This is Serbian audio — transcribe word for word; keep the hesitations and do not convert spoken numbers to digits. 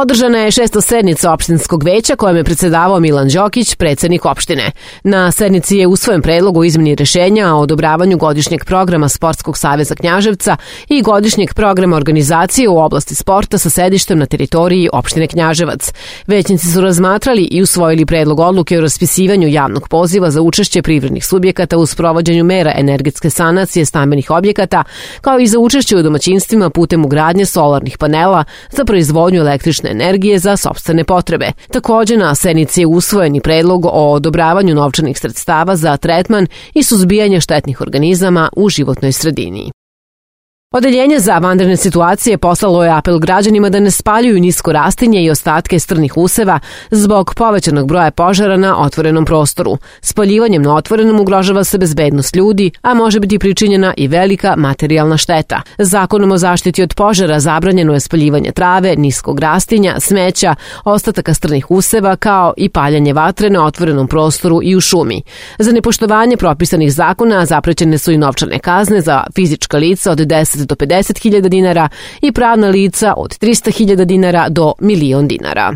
Održana je šesta sednica opštinskog veća kojom je predsedavao Milan Đokić, predsednik opštine. Na sednici je usvojen predlog o izmeni rešenja o odobravanju godišnjeg programa Sportskog saveza Knjaževca i godišnjeg programa organizacije u oblasti sporta sa sedištem na teritoriji opštine Knjaževac. Većnici su razmatrali i usvojili predlog odluke o raspisivanju javnog poziva za učešće privrednih subjekata u sprovođenju mera energetske sanacije stambenih objekata, kao i za učešće u domaćinstvima putem ugradnje solarnih panela za proizvodnju električne energije za sopstvene potrebe. Takođe, na sednici je usvojen i predlog o odobravanju novčanih sredstava za tretman i suzbijanje štetnih organizama u životnoj sredini. Odeljenje za vanredne situacije poslalo je apel građanima da ne spaljuju nisko rastinje i ostatke strnih useva zbog povećanog broja požara na otvorenom prostoru. Spaljivanjem na otvorenom ugrožava se bezbednost ljudi, a može biti pričinjena i velika materijalna šteta. Zakonom o zaštiti od požara zabranjeno je spaljivanje trave, niskog rastinja, smeća, ostataka strnih useva, kao i paljanje vatre na otvorenom prostoru i u šumi. Za nepoštovanje propisanih zakona zaprećene su i novčane kazne za fizička lica od deset do pedeset hiljada dinara i pravna lica od trista hiljada dinara do milion dinara.